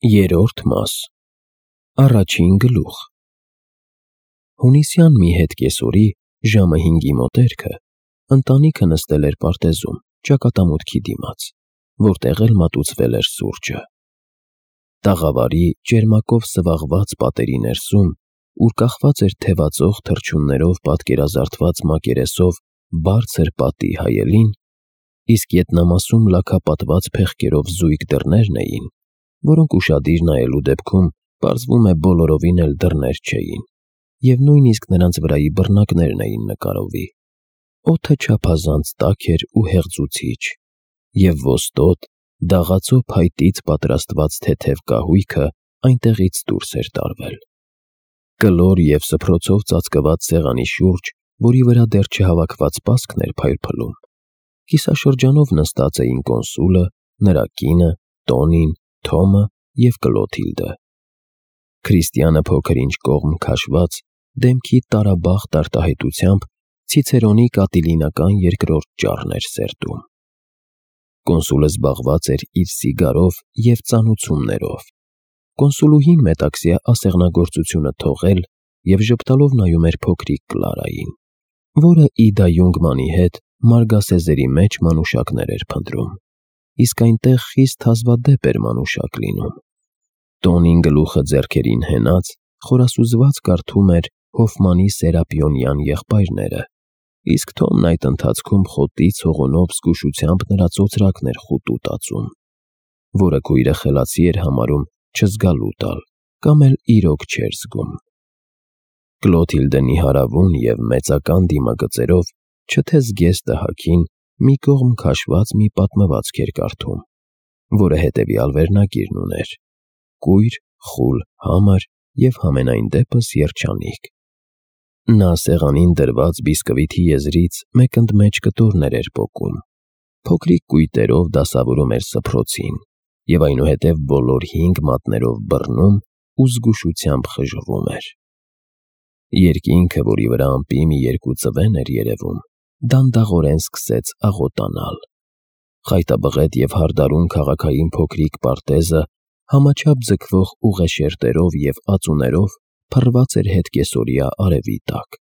Երրորդ մաս Առաջին գլուխ Հունիսյան մի հետկեսօրի ժամը 5-ի մոտերքը ընտանիքը նստել էր պարտեզում ճակատամուտքի դիմաց, որտեղ էլ մատուցվել էր սուրճը։ Տաղավարի ճերմակով սվաղված պատերի ներսում, ուր կախված էր թևածող թռչուններով պատկերազարդված մակերեսով բարձր պատի հայելին, իսկ ետնամասում լաքապատված փեղկերով զույգ դռներն էին, որոնք ուշադիր նայելու դեպքում պարզվում է բոլորովին էլ դռներ չէին, և նույնիսկ նրանց վրայի բռնակներն էին նկարովի։ Օդը չափազանց տաք էր ու հեղձուցիչ, և ոստոտ, դաղացո փայտից պատրաստված թեթև կահույքը այնտեղից դուրս էր տարվել։ Կլոր և սփռոցով ծածկված սեղանի շուրջ, որի վրա դեռ չհավաքված պասկն էր փայլփլում, կիսաշրջանով նստած էին կոնսուլը, նրա կինը, Տոնին, Թոմը և Կլոթիլդը։ Քրիստիանը փոքր-ինչ կողմ քաշված, դեմքի տարաբախտ արտահայտությամբ ցիցերոնի կատիլինական երկրորդ ճառն էր սերտում։ Կոնսուլը զբաղված էր իր սիգարով և ծանուցումներով։ Կոնսուլուհին մետաքսյա ասեղնագործությունը թողել և ժպտալով նայում էր փոքրիկ Կլարային, որը Իդա Յունգմանի հետ մարգասեզերի մեջ մանուշակներ էր փնտրում, իսկ այնտեղ խիստ հազվադեպ էր մանուշակ լինում։ Տոնին գլուխը ձեռքերին հենած խորասուզված կարդում էր Հոֆմանի Սերապիոնյան եղբայրները, իսկ Թոմն այդ ընթացքում խոտից հողունով զգուշությամբ նրա ծոծրակն էր խուտու տածում, որը քույրը խելացի էր համարում չզգալու տալ, կամ էլ իրոք չէր զգում։ Կլոթիլդը նիհարավուն և մեծական դիմագծերով, չթե զգեստը հագին, մի կողմ քաշված մի պատմվածք էր կարդում, որը հետևյալ վերնագիրն ուներ. կույր, խուլ, համր և համենայն դեպս երջանիկ։ Նա սեղանին դրված բիսկվիթի եզրից մեկ ընդմեջ կտորներ էր պոկում, փոքրիկ կույտերով դասավորում էր սփռոցին և այնուհետև բոլոր 5 մատներով բռնում ու զգուշությամբ խժռում էր։ Երկինքը, որի վրա ամպի մի երկու ծվեն էր երևում, դանդաղորեն սկսեց աղոտանալ։ Խայտաբղետ և հարդարուն քաղաքային փոքրիկ պարտեզը համաչափ ձգվող ուղեշերտերով և ածուներով փռված էր հետկեսօրյա արևի տակ։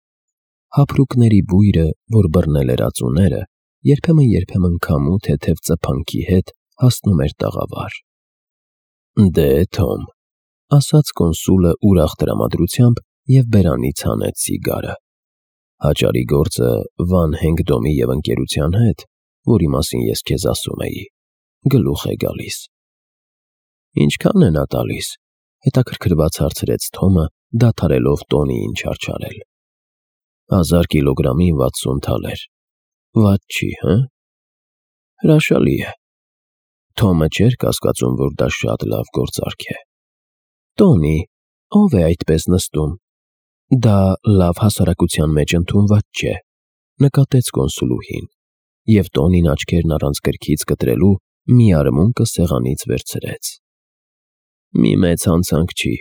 Հափրուկների բույրը, որ բռնել էր ածուները, երբեմն քամու թեթև ծփանքի հետ հասնում էր տաղավար։ «Դե, Թոմ», ասաց կոնսուլը ուրախ տրամադրությամբ և բերանից հանեց սիգարը, «հաճարի գործը Վան Հենգդոմի և ընկերության հետ, որի մասին ես քեզ ասում էի, գլուխ է գալիս»։ «Ինչքա՞ն է նա տալիս», հետաքրքրված հարցրեց Թոմը, դադարելով Տոնիին չարչարել։ 1000 կիլոգրամին 60 թալեր։ Վատ չի, հը՞։ Հրաշալի է։ Թոմը չէր կասկածում, որ դա շատ լավ գործարք է։ Տոնի, ո՞վ է այդպես նստում։ Դա լավ հասարակության մեջ ընդունված չէ, նկատեց կոնսուլուհին, և Տոնին աչքերն առանց գրքից կտրելու մի արմունկը սեղանից վերցրեց։ «Մի մեծ հանցանք չի»,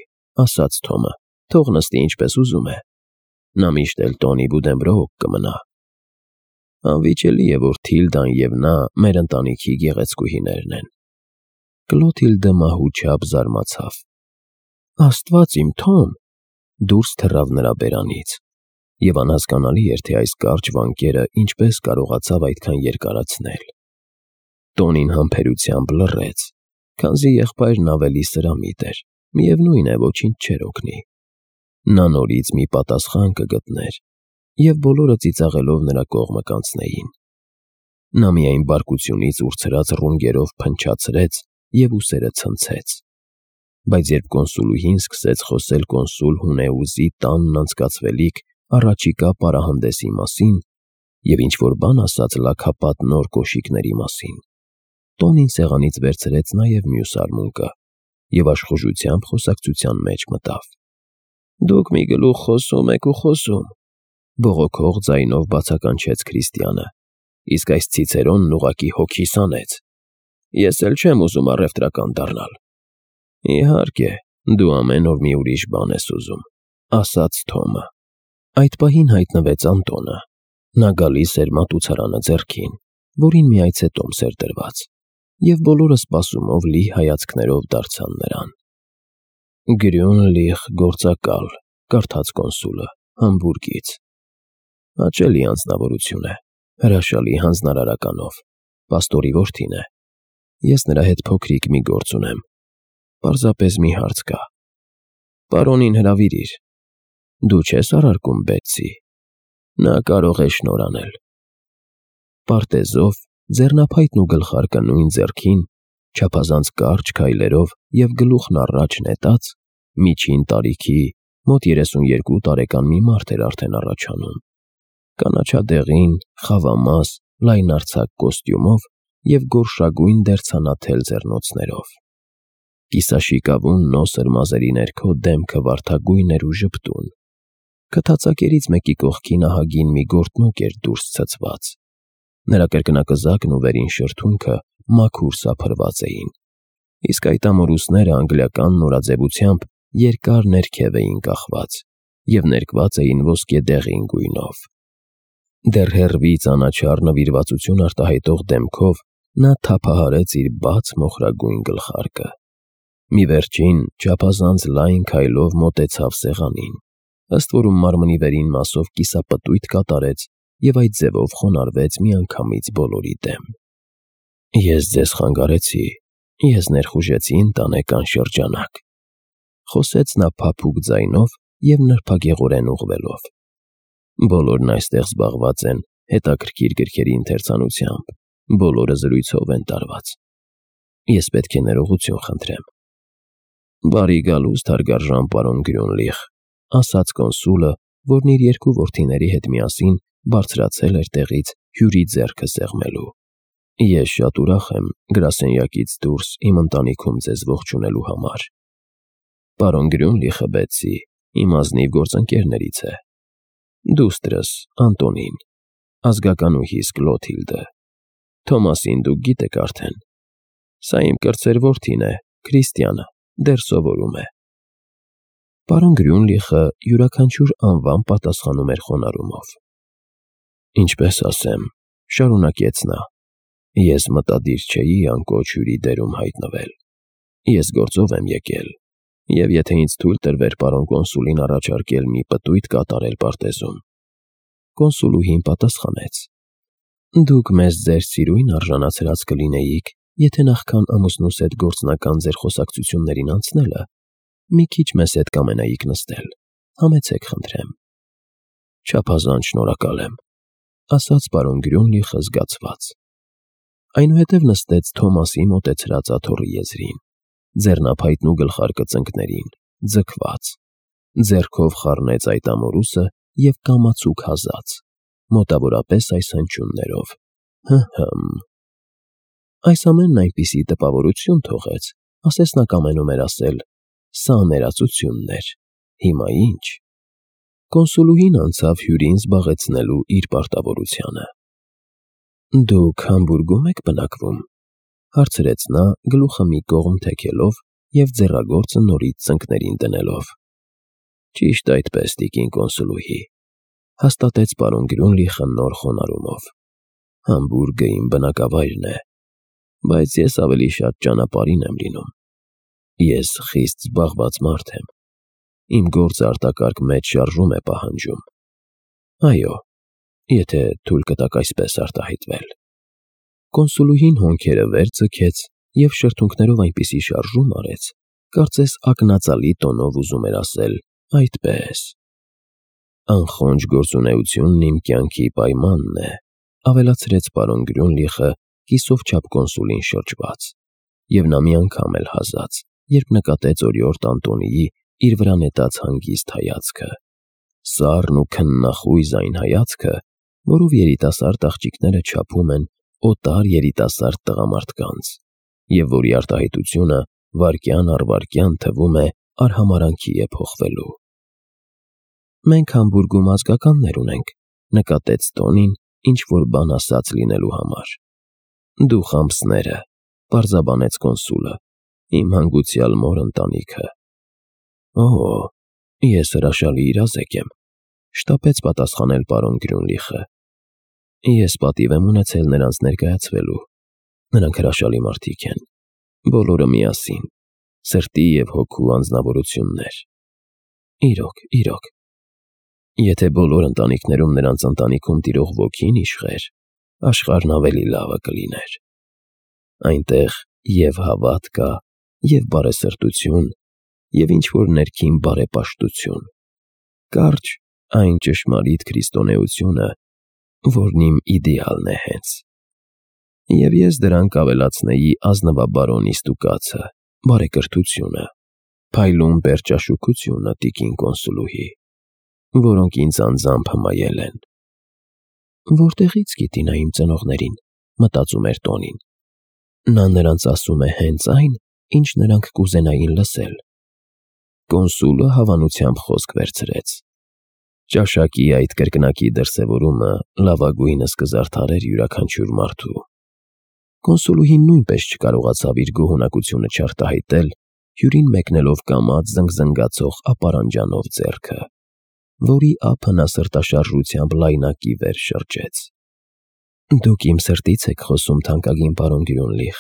ասաց Թոմը, «թող նստի ինչպես ուզում է։ Նա միշտ էլ Տոնի Բուդենբրոուք կմնա։ Անվիճելի է, որ Թիլդան և նա մեր ընտանիքի գեղեցկուհիներն են»։ Կլոթիլդը մահուչապ զարմացավ։ «Աստված իմ, Թոմ», դուրս թռավ նրա բերանից, և անհասկանալի էր, թե այս կարճ վանկերը ինչպես կարողացավ այդքան երկարացնել։ Տոնին համբերությամբ լռեց, քանզի եղբայրն ավելի սրամիտ էր, միևնույն է, ոչինչ չէր օգնի։ Նա նորից մի պատասխան կգտներ, և բոլորը ծիծաղելով նրա կողմը կանցնեին։ Նա միայն բարկությունից ուրցրած ռունգերով փնչացրեց և ուսերը ցնցեց։ Բայց երբ կոնսուլուհին սկսեց խոսել կոնսուլ Հունեուզի տանն անցկացվելիք առաջիկա պարահանդեսի մասին և ինչ-որ բան ասաց լաքապատ նոր կոշիկների մասին, Տոնին սեղանից վերցրեց նաև մյուս արմունկը և աշխուժությամբ խոսակցության մեջ մտավ։ «Դուք մի գլուխ խոսում եք ու խոսում», բողոքող ձայնով բացականչեց Քրիստիանը, «իսկ այս ցիցերոնն ուղղակի հոգիս հանեց։ Ես էլ չեմ ուզում առևտրական դառնալ»։ «Իհարկե, դու ամեն օր մի ուրիշ բան ես ուզում», ասաց Թոմը։ Այդ պահին հայտնվեց Անտոնը։ Նա գալիս էր մատուցարանը ձեռքին, որին մի այցետոմս էր դրված, և բոլորը սպասումով լի հայացքներով դարձան նրան։ Գրյունլիխ գործակալ, կարդաց կոնսուլը, Համբուրգից։ Հաճելի անձնավորություն է, հրաշալի հանձնարարականով, պաստորի որդին է։ Ես նրա հետ փոքրիկ մի գործ ունեմ, պարզապես մի հարց կա։ Պարոնին հրավիրիր։ Դու չես առարկում Բեթսի, նա կարող է շնորհ անել։ Պարտեզով, ձեռնափայտն ու գլխարկը նույն ձեռքին, չափազանց կարճ քայլերով և գլուխն առաջ նետած, միջին տարիքի, մոտ 32 տարեկան մի մարդ էր արդեն առաջանում, կանաչադեղին, խավամաս, լայնարձակ կոստյումով և գորշագույն դերձանաթել ձեռնոցներով։ Կիսաշիկավուն նոսր մազերի ներքո դեմքը վարդագույն էր ու ժպտուն։ Քթածակերից մեկի կողքին ահագին մի գորտնոկ էր դուրս ցցված։ Նրա կրկնակզակն ու վերին շրթունքը մաքուր սափրված էին, իսկ այդ ամորուսները անգլիական նորաձևությամբ երկար ներքև էին կախված և ներկված էին ոսկեդեղին գույնով։ Դեռ հեռվից անաչառ նվիրվածություն արտահայտող դեմքով նա թափահարեց իր բաց մոխրագույն գլխարկը։ Մի վերջին, չափազանց լայն քայլով մոտեցավ սեղանին, ըստ որում մարմնի վերին մասով կիսապտույտ կատարեց և այդ ձևով խոնարհվեց միանգամից բոլորի դեմ։ Ես ձեզ խանգարեցի, ես ներխուժեցի ընտանեկան շրջանակ, խոսեց նա փափուկ ձայնով և նրբագեղորեն ուղղվելով։ Բոլորն այստեղ զբաղված են հետաքրքիր գրքերի ընթերցանությամբ, բոլորը զրույցով են տարված։ Ես պետք է ներողություն խնդրեմ։ Բարի գալուստ հարգարժան պարոն Գրյունլիխ, ասաց կոնսուլը, որն իր երկու որդիների հետ միասին բարձրացել էր տեղից հյուրի ձեռքը սեղմելու։ Ես շատ ուրախ եմ գրասենյակից դուրս իմ ընտանիքում ձեզ ողջունելու համար։ Պարոն Գրյունլիխը Բեթսի իմ ազնիվ գործընկերներից է։ Դուստրս Անտոնին, ազգականուհիս Կլոթիլդը, Թոմասին դուք գիտեք արդեն։ Սա իմ կրտսեր որդին է, Քրիստիանը, դեռ սովորում է։ Պարոն Գրյունլիխը յուրաքանչյուր անվան պատասխանում էր խոնարհումով։ Ինչպես ասեմ, շարունակեց նա, ես մտադիր չէի անկոչ հյուրի դերում հայտնվել։ Ես գործով եմ եկել, և եթե ինձ թույլ տրվեր պարոն կոնսուլին առաջարկել մի պտույտ կատարել պարտեզում։ Կոնսուլուհին պատասխանեց. Դուք մեզ ձեր սիրույն արժանացրած կլինեիք, եթե նախքան ամուսնուս հետ գործնական ձեր խոսակցություններին անցնելը մի քիչ մեզ հետ կամենայիք նստել, համեցեք խնդրեմ։ Չափազանց շնորհակալ եմ, ասաց պարոն Գրյունլիխը զգացված։ Այնուհետև նստեց Թոմասի մոտեցրած աթոռի եզրին, ձեռնափայտն ու գլխարկը ծնկներին, ձգված, ձեռքով խառնեց այդ ամորուսը և կամացուկ հազաց, մոտավորապես այս հնչյուններով. հըմ։ Այս ամենն այնպիսի տպավորություն թողեց, ասես նա կամենում էր ասել. սա ներածությունն էր, հիմա ինչ։ Կոնսուլուհին անցավ հյուրին զբաղեցնելու իր պարտավորությանը։ Դուք Համբուրգում եք բնակվում, հարցրեց նա գլուխը մի կողմ թեքելով և ձեռագործը նորից ծնկներին դնելով։ Ճիշտ այդպես, տիկին կոնսուլուհի, հաստատեց պարոն Գրյունլիխը նոր խոնարհումով։ Համբուրգը իմ բնակավայրն է, բայց ես ավելի շատ ճանապարհին եմ լինում։ Ես խիստ զբաղված մարդ եմ։ Իմ գործը արտակարգ մեծ շարժում է պահանջում։ Այո, եթե թույլ կտաք այսպես արտահայտվել։ Կոնսուլուհին հոնքերը վեր ձգեց և շրթունքներով այնպիսի շարժում արեց, կարծես ակնածալի տոնով ուզում էր ասել. այդպես։ Անխոնջ գործունեությունն իմ կյանքի պայմանն է, ավելացրեց պարոն Գրյունլիխը կիսով չափ կոնսուլին շրջված, և նա մի անգամ էլ հազաց, երբ նկատեց օրիորդ Անտոնիի իր վրա նետած հանգիստ հայացքը, սառն ու քննախույզ այն հայացքը, որով երիտասարդ աղջիկները չափում են օտար երիտասարդ տղամարդկանց, և որի արտահայտությունը վայրկյան առ վայրկյան թվում է արհամարհանքի է փոխվելու։ Մենք Համբուրգում ազգականներ ունենք, նկատեց Տոնին, ինչ-որ բան ասած լինելու համար։ Դու Խամսները, պարզաբանեց կոնսուլը, իմ հանգուցյալ մոր ընտանիքը։ Օ, ես հրաշալի իրազեկ եմ, շտապեց պատասխանել պարոն Գրյունլիխը։ Ես պատիվ եմ ունեցել նրանց ներկայացվելու։ Նրանք հրաշալի մարդիկ են, բոլորը միասին, սրտի և հոգու անձնավորություններ։ Իրոք, եթե բոլոր ընտանիքներում նրանց ընտանիքում տիրող ոգին իշխեր, աշխարհն ավելի լավը կլիներ։ Այնտեղ և հավատ կա, և բարեսրտություն, և ինչ-որ ներքին բարեպաշտություն, կարճ այն ճշմարիտ քրիստոնեությունը, որն իմ իդեալն է հենց։ Եվ ես դրան կավելացնեի ազնվաբարոնի ստուգածը, բարեկրթությունը, փայլուն պերճաշուքությունը տիկին կոնսուլուհի, որոնք ինձ անձամբ հմայել են։ Որտեղի՞ց գիտի նա իմ ծնողներին, մտածում էր Տոնին։ Նա նրանց ասում է հենց այն, ինչ նրանք կուզենային լսել։ Կոնսուլը հավանությամբ խոսք վերցրեց. ճաշակի այդ կրկնակի դրսևորումը լավագույնս կզարդարեր յուրաքանչյուր մարդու։ Կոնսուլուհին նույնպես չկարողացավ իր գոհունակությունը չարտահայտել, հյուրին մեկնելով կամաց զնգզնգացող ապարանջանով ձեռքը, որի ափը նա սրտաշարժությամբ լայնակի վեր շրջեց։ Դուք իմ սրտից եք խոսում, թանկագին պարոն Գրյունլիխ։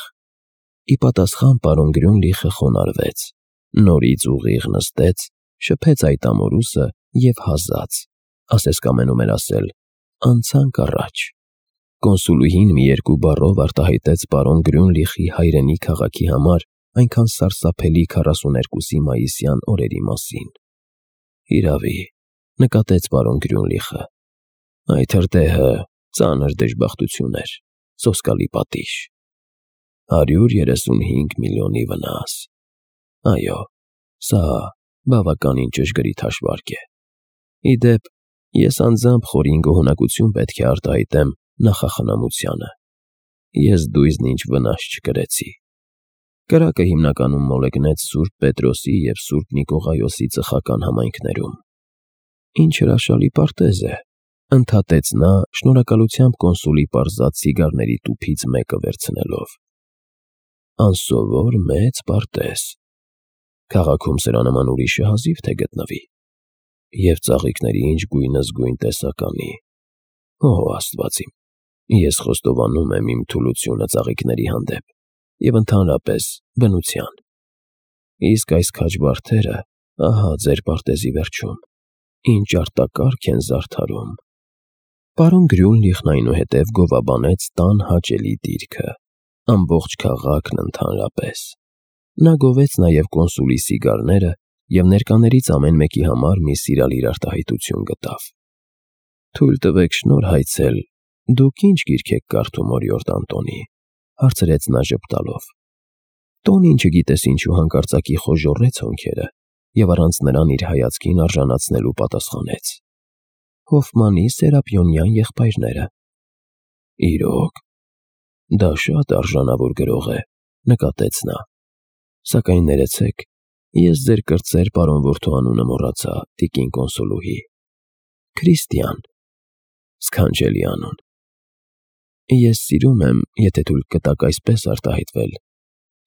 Ի պատասխան պարոն Գրյունլիխը խոնարհվեց, նորից ուղիղ նստեց, շփեց այդ ամորուսը և հազաց, ասես կամենում էր ասել, անցանք առաջ։ Կոնսուլուհին մի երկու բառով արտահայտեց պարոն Գրյունլիխի հայրենի քաղաքի համար այնքան սարսափելի 42 մայիսյան օրերի մասին։ Հիրավի, նկատեց պարոն Գրյունլիխը, այդ հրդեհը ծանր դժբախտություն էր, սոսկալի պատիժ։ 135 միլիոնի վնաս։ Այո, սա բավականին ճշգրիտ հաշվարկ է։ Ի դեպ, ես անձամբ խորին գոհունակություն պետք է արտահայտեմ նախախնամությանը։ Ես դույզն ինչ վնաս չկրեցի։ Կրակը հիմնականում մոլեգնեց Սուրբ Պետրոսի և Սուրբ Նիկողայոսի ծխական համայնքներում։ Ինչ հրաշալի պարտեզ է, ընդհատեց նա, շնորհակալությամբ կոնսուլի պարզած սիգարների տուփից մեկը վերցնելով։ Անսովոր մեծ պարտեզ։ Քաղաքում սրա նման ուրիշը հազիվ թե գտնվի։ Եվ ծաղիկների ինչ գույնզգույն տեսականի։ Օ, Աստված իմ, ես խոստովանում եմ իմ թուլությունը ծաղիկների հանդեպ և ընդհանրապես բնության։ Իսկ այս քաջ բարդերը, ահա ձեր պարտեզի վերջում, ինչ արտակարգ են զարդարում։ Պարոն Գրյունլիխն այնուհետև գովաբանեց տան հաճելի դիրքը, ամբողջ քաղաքն ընդհանրապես։ Նա գովեց նաև կոնսուլի սիգարները և ներկաներից ամեն մեկի համար մի սիրալիր արտահայտություն գտավ։ Թույլ տվեք շնորհայցել, դուք ինչ գիրք եք կարդում օրիորդ Անտոնի, հարցրեց նա ժպտալով։ Տոնին չգիտես ինչու հանկարծակի խոժոռեց հոնքերը և առանց նրան իր հայացքին արժանացնելու պատասխանեց. Հոֆմանի Սերապիոնյան եղբայրները։ Իրոք, դա շատ արժանավոր գրող է, նկատեց նա։ Սակայն ներեցեք, ես ձեր կրտսեր պարոն որդու անունը մոռացա, տիկին կոնսուլուհի։ Քրիստիան։ Սքանչելի անուն։ Ես սիրում եմ, եթե թույլ կտաք այսպես արտահայտվել,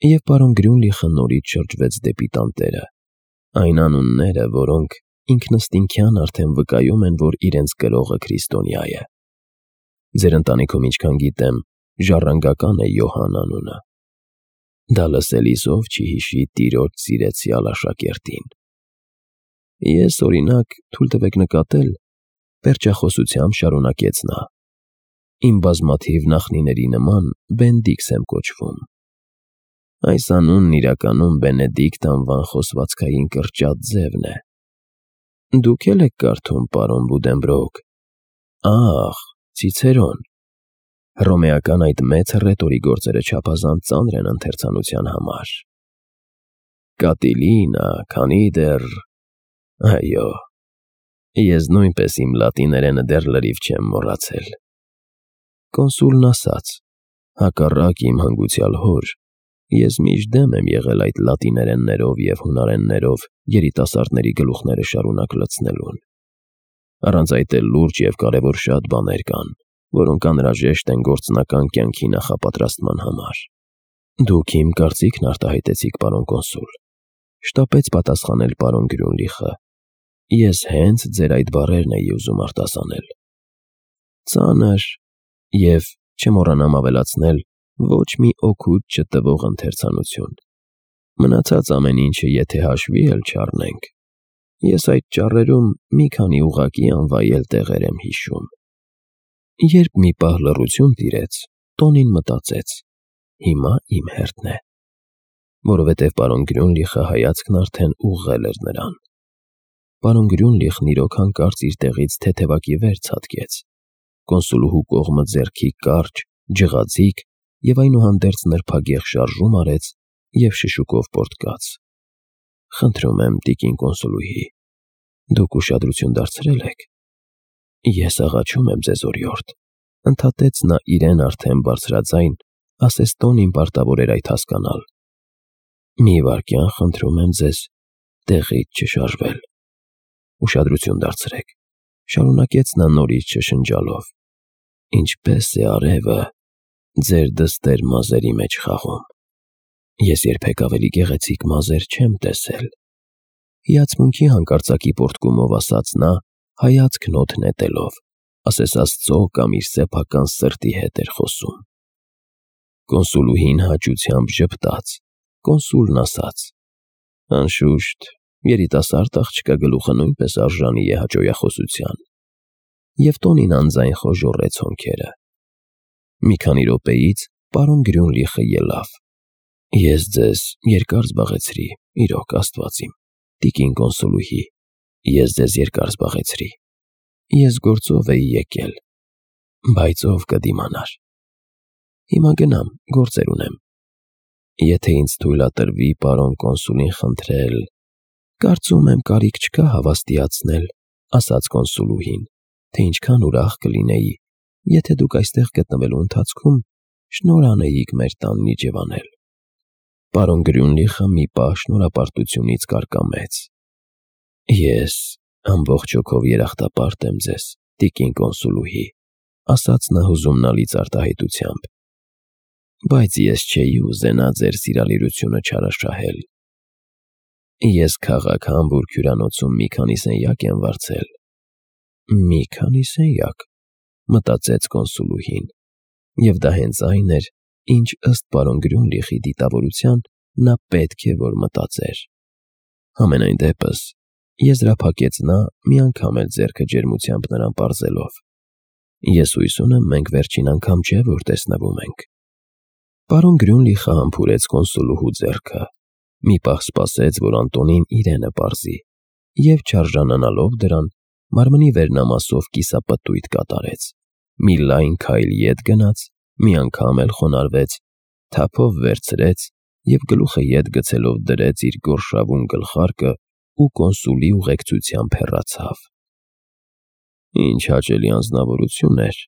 և պարոն Գրյունլիխը նորից շրջվեց դեպի տանտերը, այն անունները, որոնք ինքնըստինքյան արդեն վկայում են, որ իրենց կրողը քրիստոնյա է։ Ձեր ընտանիքում, ինչքան գիտեմ, ժառանգական է Յոհան անունը։ Դա լսելիս ով չի հիշի տիրոջ սիրեցյալ աշակերտին։ Ես, օրինակ, թույլ տվեք նկատել, պերճախոսությամբ շարունակեց նա, իմ բազմաթիվ նախնիների նման Բենդիքս եմ կոչվում։ Այս անունն իրականում Բենեդիկտ անվան խոսվածքային կրճատ ձևն է։ Դուք էլ եք կարդում, պարոն Բուդենբրոկ։ Ախ, Ցիցերոն։ Հռոմեական այդ մեծ հռետորի գործերը չափազանց ծանր են ընթերցանության համար։ Կատիլինա, քանի դեռ… Այո, ես նույնպես իմ լատիներենը դեռ լրիվ չեմ մոռացել։ Կոնսուլն ասաց. հակառակ իմ հանգուցյալ հոր, ես միշտ դեմ եմ եղել այդ լատիներեններով և հունարեններով երիտասարդների գլուխները շարունակ լցնելուն։ Առանց այդ էլ լուրջ և կարևոր շատ բաներ կան, որոնք անհրաժեշտ են գործնական կյանքի նախապատրաստման համար։ Դուք իմ կարծիքն արտահայտեցիք, պարոն կոնսուլ, շտապեց պատասխանել պարոն Գրյունլիխը։ Ես հենց ձեր այդ բառերն էի ուզում արտասանել։ Ծանր և, չմոռանամ ավելացնել, ոչ մի օգուտ չտվող ընթերցանություն։ Մնացած ամեն ինչը եթե հաշվի էլ չառնենք, ես այդ ճառերում մի քանի ուղղակի անվայել տեղեր եմ հիշում։ Երբ մի պահ լռություն տիրեց, Տոնին մտածեց. հիմա իմ հերթն է, որովհետև պարոն Գրյունլիխը հայացքն արդեն ուղղել էր նրան։ Պարոն Գրյունլիխն իրոք հանկարծ իր տեղից թեթևակի վեր ցատկեց, կոնսուլուհու կողմը ձեռքի կարճ, ջղաձիգ և այնուհանդերձ նրբագեղ շարժում արեց և շշուկով պոռթկաց. «Խնդրում եմ, տիկին կոնսուլուհի, դուք ուշադրություն դարձրել եք»։ «Ես աղաչում եմ ձեզ, օրիորդ», ընդհատեց նա իրեն արդեն բարձրաձայն, ասես Տոնին պարտավոր էր այդ հասկանալ։ «Մի վայրկյան, խնդրում եմ ձեզ, տեղից չշարժվել։ Ուշադրություն դարձրեք», շարունակեց նա նորից շշնջալով, «ինչպես է արևը ձեր դստեր մազերի մեջ խաղում։ Ես երբեք ավելի գեղեցիկ մազեր չեմ տեսել»։ Հիացմունքի հանկարծակի պոռթկումով ասաց նա, հայացքն օդ նետելով, ասես Աստծո կամ իր սեփական սրտի հետ էր խոսում։ Կոնսուլուհին հաճությամբ ժպտաց, կոնսուլն ասաց. «Անշուշտ, երիտասարդ աղջկա գլուխը նույնպես արժանի է հաճոյախոսության»։ Եվ Տոնին անձայն խոժոռեց հոնքերը։ Մի քանի րոպեից պարոն Գրյունլիխը ելավ։ «Ես ձեզ երկար զբաղեցրի, իրոք, Աստված իմ, տիկին կոնսուլուհի, ես ձեզ երկար զբաղեցրի։ Ես գործով էի եկել, բայց ով կդիմանար։ Հիմա գնամ, գործեր ունեմ։ Եթե ինձ թույլատրվի պարոն կոնսուլին խնդրել, կարծում եմ կարիք չկա հավաստիացնել», ասաց կոնսուլուհին, «թե ինչքան ուրախ կլինեի, եթե դուք այստեղ գտնվելու ընթացքում շնորհ անեիք մեր տանն իջևանել»։ Պարոն Գրյունլիխը մի պահ շնորհապարտությունից կարկամեց։ «Ես ամբողջ հոգով երախտապարտ եմ ձեզ, տիկին կոնսուլուհի», ասաց նա հուզումնալից արտահայտությամբ, «բայց ես չէի ուզենա ձեր սիրալիրությունը չարաշահել։ Ես քաղաք Համբուրգ հյուրանոցում մի քանի սենյակ եմ վարձել»։ «Մի քանի սենյակ», մտածեց կոնսուլուհին, և դա հենց այն էր, ինչ ըստ պարոն Գրյունլիխի դիտավորության նա պետք է որ մտածեր։ Համենայն դեպս, եզրափակեց նա, մի անգամ էլ ձեռքը ջերմությամբ նրան պարզելով, «Ես հույս ունեմ, մենք վերջին անգամ չէ, որ տեսնվում ենք»։ Պարոն Գրյունլիխը համբուրեց կոնսուլուհու ձեռքը, մի պահ սպասեց, որ Անտոնին իրենը պարզի, և չարժանանալով դրան, մարմնի վերնամասով կիսապտույտ կատարեց, մի լայն քայլ ետ գնաց, մի անգամ էլ խոնարհվեց, թափով վերցրեց և գլուխը ետ գցելով դրեց իր գորշավուն գլխարկը ու կոնսուլի ուղեկցությամբ հեռացավ։ «Ինչ հաճելի անձնավորություն էր»,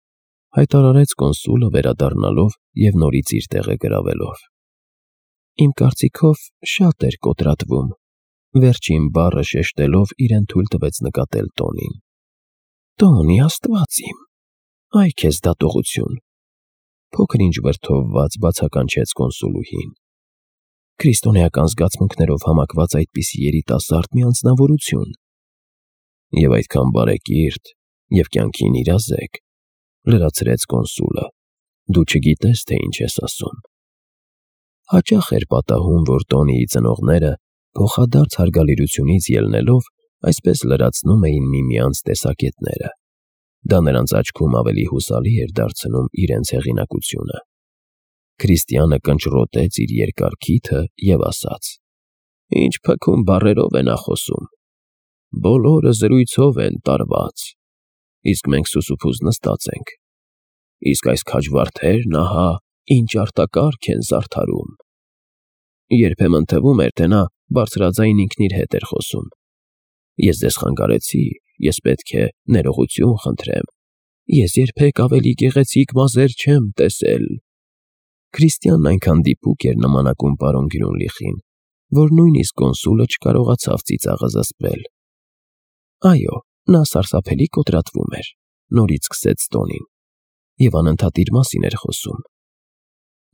հայտարարեց կոնսուլը վերադառնալով և նորից իր տեղը գրավելով։ «Իմ կարծիքով շատ էր կոտրատվում», վերջին բառը շեշտելով իրեն թույլ տվեց նկատել Տոնին։ «Տոնի, Աստված իմ, այ քեզ դատողություն», փոքր-ինչ վրդովված բացականչեց կոնսուլուհին։ «Քրիստոնեական զգացմունքներով համակված այդպիսի երիտասարդ մի անձնավորություն։ Եվ այդքան բարեկիրթ և կյանքին իրազեկ», լրացրեց կոնսուլը, «դու չգիտես, թե ինչ ես ասում»։ Հաճախ էր պատահում, որ Տոնիի ծնողները, փոխադարձ հարգալիրությունից ելնելով, այսպես լրացնում էին միմյանց տեսակետները։ Դա նրանց աչքում ավելի հուսալի էր դարձնում իրենց հեղինակությունը։ Քրիստիանը կնճռոտեց իր երկար քիթը և ասաց. «Ինչ փքուն բառերով է նա խոսում։ Բոլորը զրույցով են տարված, իսկ մենք սուսուփուզ նստած ենք։ Իսկ այս քաջվարդերն ահա ինչ արտակարգ են զարդարում»։ Երբեմն թվում էր, թե նա բարձրաձայն ինքն իր հետ էր խոսում։ «Ես ձեզ խանգարեցի, ես պետք է ներողություն խնդրեմ, ես երբեք ավելի գեղեցիկ մազեր չեմ տեսել»։ Քրիստիանն այնքան դիպուկ էր նմանակում պարոն Գրյունլիխին, որ նույնիսկ կոնսուլը չկարողացավ ծիծաղը զսպել։ «Այո, նա սարսափելի կոտրատվում էր», նորից սկսեց Տոնին, «և անընդհատ իր մասին էր խոսում։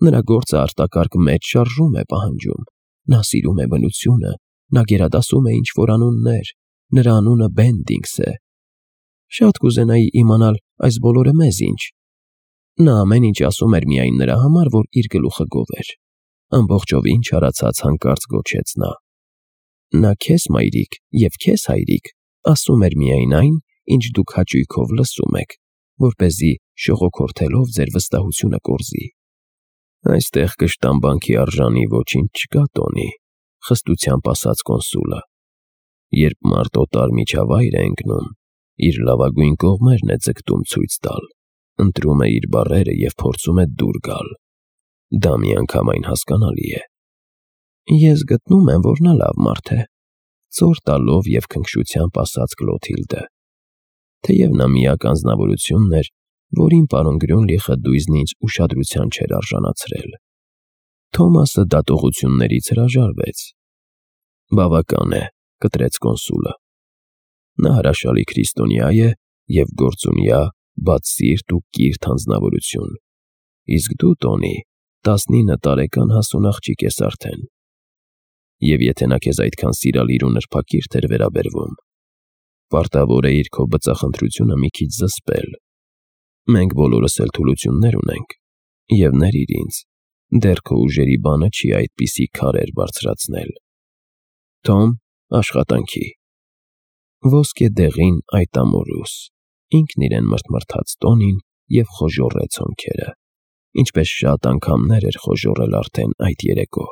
Նրա գործը արտակարգ մեծ շարժում է պահանջում, նա սիրում է բնությունը, նա գերադասում է ինչ-որ անուններ, նրա անունը Բենդինգս է։ Շատ կուզենայի իմանալ այս բոլորը մեզ ինչ։ Նա ամեն ինչ ասում էր միայն նրա համար, որ իր գլուխը գովեր։ ամբողջովին չարացած հանկարծ գոչեց նա։ Նա քեզ մայրիկ և քեզ հայրիկ ասում էր միայն այն, ինչ դուք հաճույքով լսում եք, որպեսզի շողոքորթելով ձեր վստահությունը կորզի։ Այստեղ կշտամբանքի արժանի ոչինչ չկա, Տոնի, խստությամբ ասաց կոնսուլը։ Երբ մարդ օտար միջավայր է ընկնում, իր լավագույն կողմերն է ձգտում ցույց տալ, ընտրում է իր բառերը և փորձում է դուր գալ։ Դա միանգամայն հասկանալի է։ Ես գտնում եմ, որ նա լավ մարդ է, ծոր տալով և քնքշությամբ ասաց Կլոթիլդը, թեև նա միակ անձնավորությունն էր, որին պարոն Գրյունլիխը դույզն ինձ ուշադրության չէր արժանացրել։ Թոմասը դատողություններից հրաժարվեց։ Բավական է, կտրեց կոնսուլը։ Նա հրաշալի քրիստոնյա է և գործունյա, բաց սիրտ ու կիրթ անձնավորություն։ Իսկ դու, Տոնի, 19 տարեկան հասուն աղջիկ ես արդեն։ Եվ եթե նա քեզ այդքան սիրալիր ու նրբակիրթ էր վերաբերվում, պարտավոր էիր քո բծախնդրությունը մի քիչ զսպել։ Մենք բոլորս էլ թուլություններ ունենք, և ներիր ինձ, դեռ քո ուժերի բանը չի այդպիսի քարեր բարձրացնել։ Թոմ, աշխատանքի։ Ոսկե դեղին այդ ամորուս, ինքն իրեն մրթմրթաց Տոնին և խոժոռեց հոնքերը, ինչպես շատ անգամներ էր խոժոռել արդեն այդ երեկո։